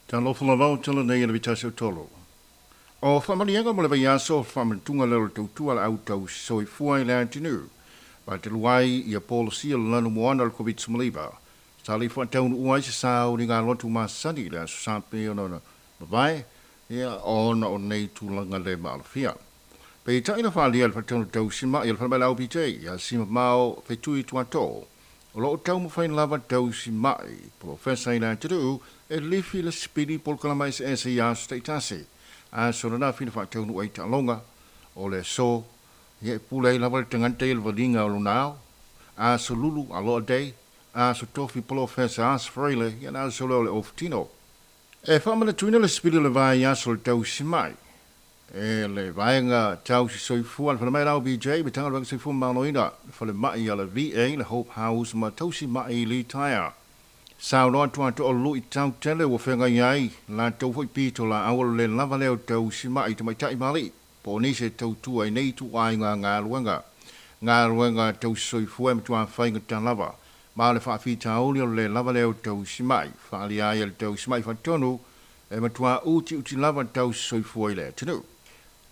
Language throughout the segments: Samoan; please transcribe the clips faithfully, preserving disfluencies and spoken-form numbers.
Talofa lava o tala nei le vitasi o tolo. O whamalianga mo le vaiaso whamantunga leo le tautua le au tau soifua i le atunuu. Whataluai ia polosia le lanu moana le COVID smaliva. Sa le whataunu uai se sao ni ngā lotu masani le aso sape ona ona mavae ia ona o nei tūlanga le maalafia. Pe taina whalia le whataunu tau sima ia le whanamai lau P J ia sima mao whetui tuato. O loo tau mawhain lava tau si mai, Profesa i le atunuu, e lifi le spidi polokalama S S i aso taitasi. A so na fina whataunu ai ta'alonga, o le so, ia e pule ai lava le tangata i le valinga o lunao, a so lulu a loa day, a so tofi Profesa as freile, ia na so leo le oftino. E whamana tuina le spidi le vai aso le tau si mai. E le vaenga tau si soifua le whanamai lau B J, me tanga le soifua maloina, le whale mai a le V A, le Hope House, ma tau si mai li taia. Sao noa tua to o lui tau tele ua whenga iai, la tau fo i pito la awalo le lava leo tau si mai te mai tai mali, po nise tau tua i nei tu ai ngā ngā luenga. Ngā luenga tau si soifua me tua whainga tā lava. Ma le whaawhi tauli o le lava leo tau si mai, whaali ai le tau si mai whatonu, e matua uti uti lava tau si soifua i le tunu.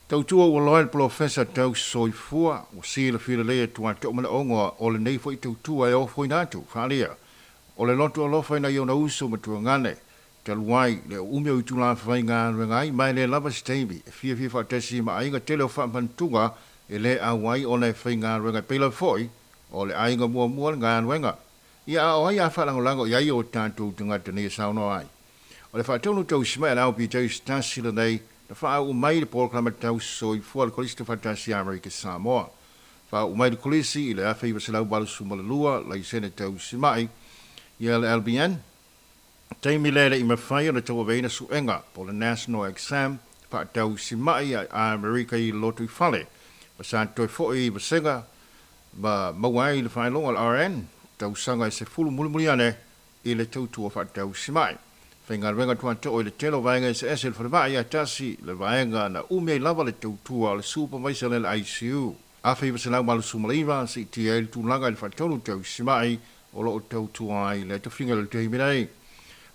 Tau tua ua loa le Profesa tau soifua, ua sila fila lea tua tau mana ongoa o le nei fo i tau tua e ofo ina atu, whaalia. O le loto alofa ina iona uso matua ngane, taluai le umi o itula whai ngā rengai, mai le lava steimi, e fia fia whaatesi ma ainga tele o whaamantunga, e le awai o le whai ngā rengai pela foi, o le ainga mua mua le ngā renga. Ia o ai a whaalangolango i ai o tātou tangata nei sauno ai. O le whaatonu tau sima e lau pi tau stasi le nei, na whaau mai le polokalama tau soifua le kolisi te whatasi Amerika Samoa. Whaau mai le kolisi i le awhi waselau walusu malalua, laisene tau simai, ia le L B N. Taimi lele i mawhai o le tau aveina suenga, po le National Exam, whaatau simai a Amerika i lotu i fale. Masa toi foi i wasenga, ma mauai le whailonga le R N, tau sanga i se fulu mulimuliane i le tautua whaatau simai. Whainga renga tua tō i le telo vaenga se S L whanamai a tasi le vaenga na ume lava le tautua le supervisor le I C U. Awhi waselau malusu malaiva si ti e le tūlanga i le whatonu tau simai o loo tautua ai le tawhinga le tehiminei.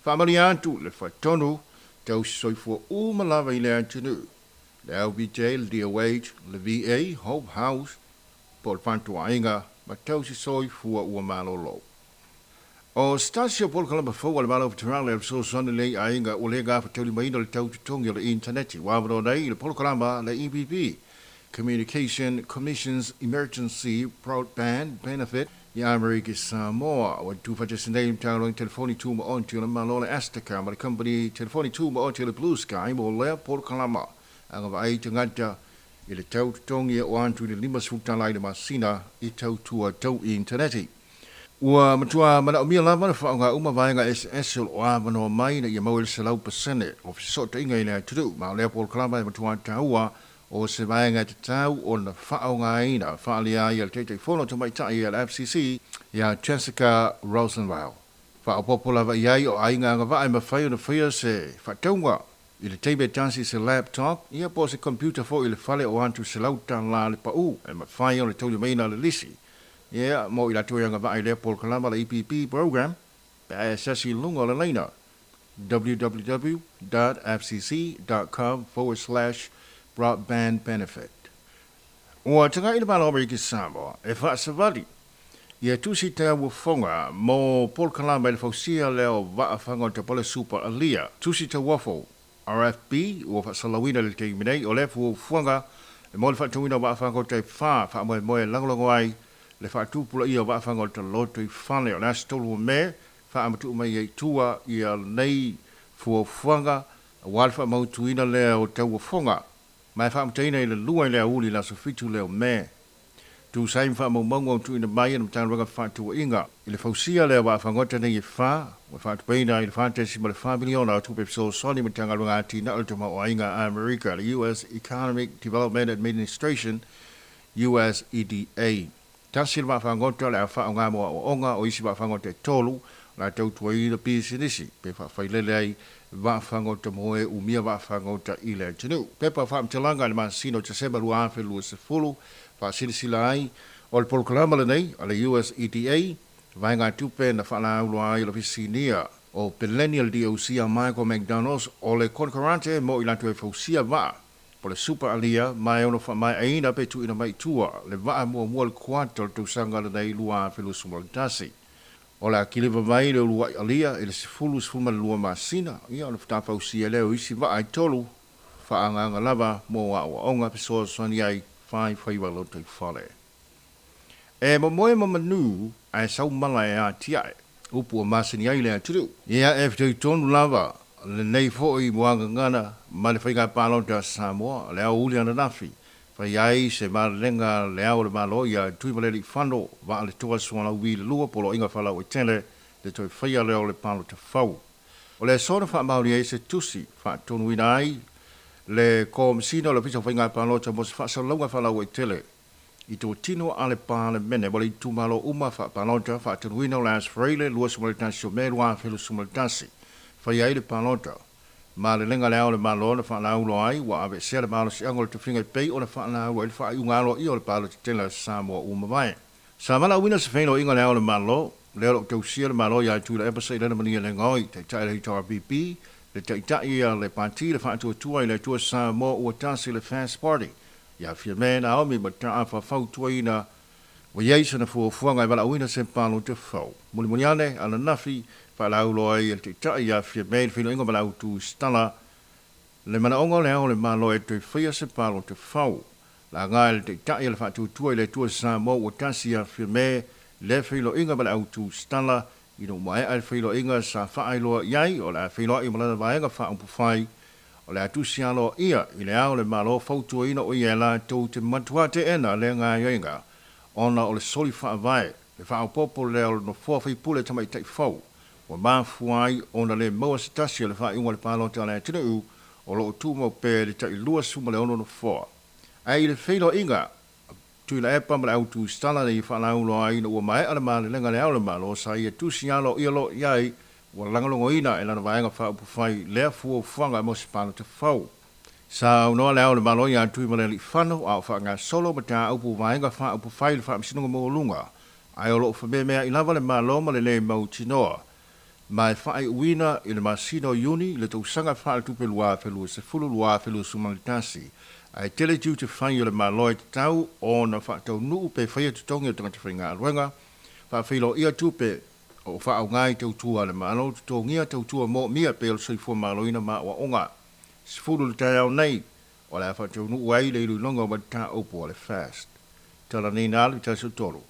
Whamali atu le whatonu tau soifua uma lava i le atunu. Le L B J, le D O H, le V A, Hope House, po le whantua ainga, ma tau si soifua ua malolo. O stasio polokalama fou a le malo whitarale le fesoasoani lei aiga ua le gafataulimaina le tau totogi o le intaneti ua avanoa nei le polokalama le E B B Communication Commission's Emergency Broadband Benefit i Amerika Samoa. Ua tufatasi nei matagaluega telefoni tumaoti o le Malo le Astica ma le company telefoni tumaoti o le Blue Sky mo lea polokalama agavaai tagata i le tau totogi e o atu i le lima sefulu tala i le masina i tautua tau intaneti. Ua matua manaomia lava le whaonga uma vaenga S S o lo avanoa mai na ia mau i le selau pasene o fesootaiga i le atunuu. Ma o lea polokalama e matua taua o se vaenga e tatau ona faaaogaina faaalia ai e le Taitaifono Tamaitai a le F C C ia Jessica Rosenwell. Faaopopo lava i ai o aiga agavaa e mafai ona faia se faatauga i le taimi e tasi se laptop ia po o se computer foi i le fale o atu selau tala le pau e mafai ona taulimaina le lisi. Ia, mo i latou agavaa i lea polokalama le E P P program, pe a e sasi lunga o le laina w w w dot f c c dot com forward slash broadband benefit. Ua tagai le Malo Amerika Samoa e whaasavali ia tusi te uafonga mo polokalama i le fausia leo vaafagota po le Super Alia. Tusi te uafo R F B ua faasalauina le taimi nei o le fuafuaga e mo le faatauina o vaafagota e wha faamoemoe lagolago ai le faatupula ia o vaafagota loto i fale o le aso tolu o Me faamatuu mai ai tua ia nei fuafuaga aua le faamautuina lea o tauafoga ma e faamataina i le lua i le auli le aso fitu lea o Me. Tusai ma faamaumauga o tuuina mai e le Matagaluega Faatuaiga i le fausia lea o vaafagota nei e wha, ua faatupeina i le wha ma le wha miliona o tupe fesoasoani Matagaluega Atinae o le Tamaoaiga a Amerika, le U S Economic Development Administration, U S E D A. Tasi le vaafagota le a faaoga mo aoaoga o isi vaafagota e tolu, la tautuaina pisinisi, pe faafailele ai vaafagota mo e umia vaafagota i le atunuu. Pepa faamatalaga i le masina o Tesema lua afe lua sefulu, faasilasila ai o le polokalama lenei a le U S E D A, vaega tupe na faalauloa ai o le ofisinia O Pelennial D O C a Michael McDonald's o le konkarante mo i latu e fausia vaa po le super alia mai ono fa mai aina pe tu ina mai tua le vaa mua mua le kuata o le tausaga lenei lua afe luasefulu ma le tasi. O le akiliva mai le uluai alia i le sefulu sefulu ma le lua masina ia o le fatafausia lea o isi vaa e tolu faagaga lava mo aoaoga fesoasoani ai faifaiva lotoifale. E momoe ma manu ae saumala e atiae upu o masani ai le atunuu. Ia e fitoitonu lava lenei foi muagagana ma le faiga palota a Samoa le aoauli ananafi fai ai se malelega le ao o le Malo ia Tuimalealiifano Vaaletoa Sualauvi le lua poloaiga faalauaitele le toe faia lea o le palota fou. O le aso na faamaonia ai se tusi faatonuina ai le Komesina o le Ofisa o Faiga Palota mo se faasalalauga faalauaitele i totino a le Palemene mo le itumalo uma faapalota faatonuina o le Aso Faraile luasefulu ma le tasi o Me lua afe luasefulu ma le tasi fai ai le palota. Malelega le ao o le Malo na faalaulo ai ua aveesea le malosiaga o le tofiga e pei ona faalaulo ai le faaiuga aloaia o le palota tele a Samoa ua mavae. Sa valaauina se feiloaiga le ao o le Malo lea o loo tausia le Malo ia Tuilaepa Sailele Malielegaoi taitai le H R P P le taitai a le Pati le Faatuatua i le Atua Samoa ua tasi le Fast Party ia Fiame Naomi Mataafa fautuaina ua iai sana fuafuaga e valaauina se palota fou. Mulimuli ane ananafi faalaulo ai e le taitai ia Fiame le feiloaiga ma le autusitala le manaoga o le ao o le Malo e toe faia se palota fou. Laga e le taitai a le Faatuatua i le Atua Samoa ua tasi ia Fiame le feiloaiga ma le autusitala ina ua maea le feiloaiga sa faailoa i ai o le a feiloai ma lana vaega faaupufai o le a tusi aloaia i le ao o le Malo fautuaina o ia e latou te matua teena lea gaoioiga ona o le soli faavae le faaopoopo lea o le nofoa faipule tamaitai fou ua mafua ai ona le maua se tasi o le faaiuga o le palota a le atunuu o loo tumau pea le tailua sefulu ma le ono nofoa. Ae i le feiloaiga Tuilaepa ma le autusitala nei faalaulo ai ina ua maea le malelega le ao o le Malo sa ia tusi aloaia loa i ai ua lagolagoina e lana vaega faaupufai lea fuafuaga mo se palota fou. Sa aunoa le ao o le Malo ia Tuimalealiifano a o faagasolo mataupu vaega faaupufai le Faamasinoga Maualuga ae o loo fameameai lava le Malo ma le lē mautinoa ma e faaiuina i le masina o Iuni le tausaga faaletupe lua afe luasefulu lua afe luasefulu ma le tasi ae tele tiute fai o le Malo e tatau ona faataunuu pe faia totogi o tagata faigaluega faafeiloaia tupe o faaaoga i tautua a le Malo totogia tautua moomia pei o le soifua malōina ma aoaoga. Sefulu le taeao nei o le a faataunuu ai le iloiloga o mataupu a le FAST. Talaniina alu tasi o tolu.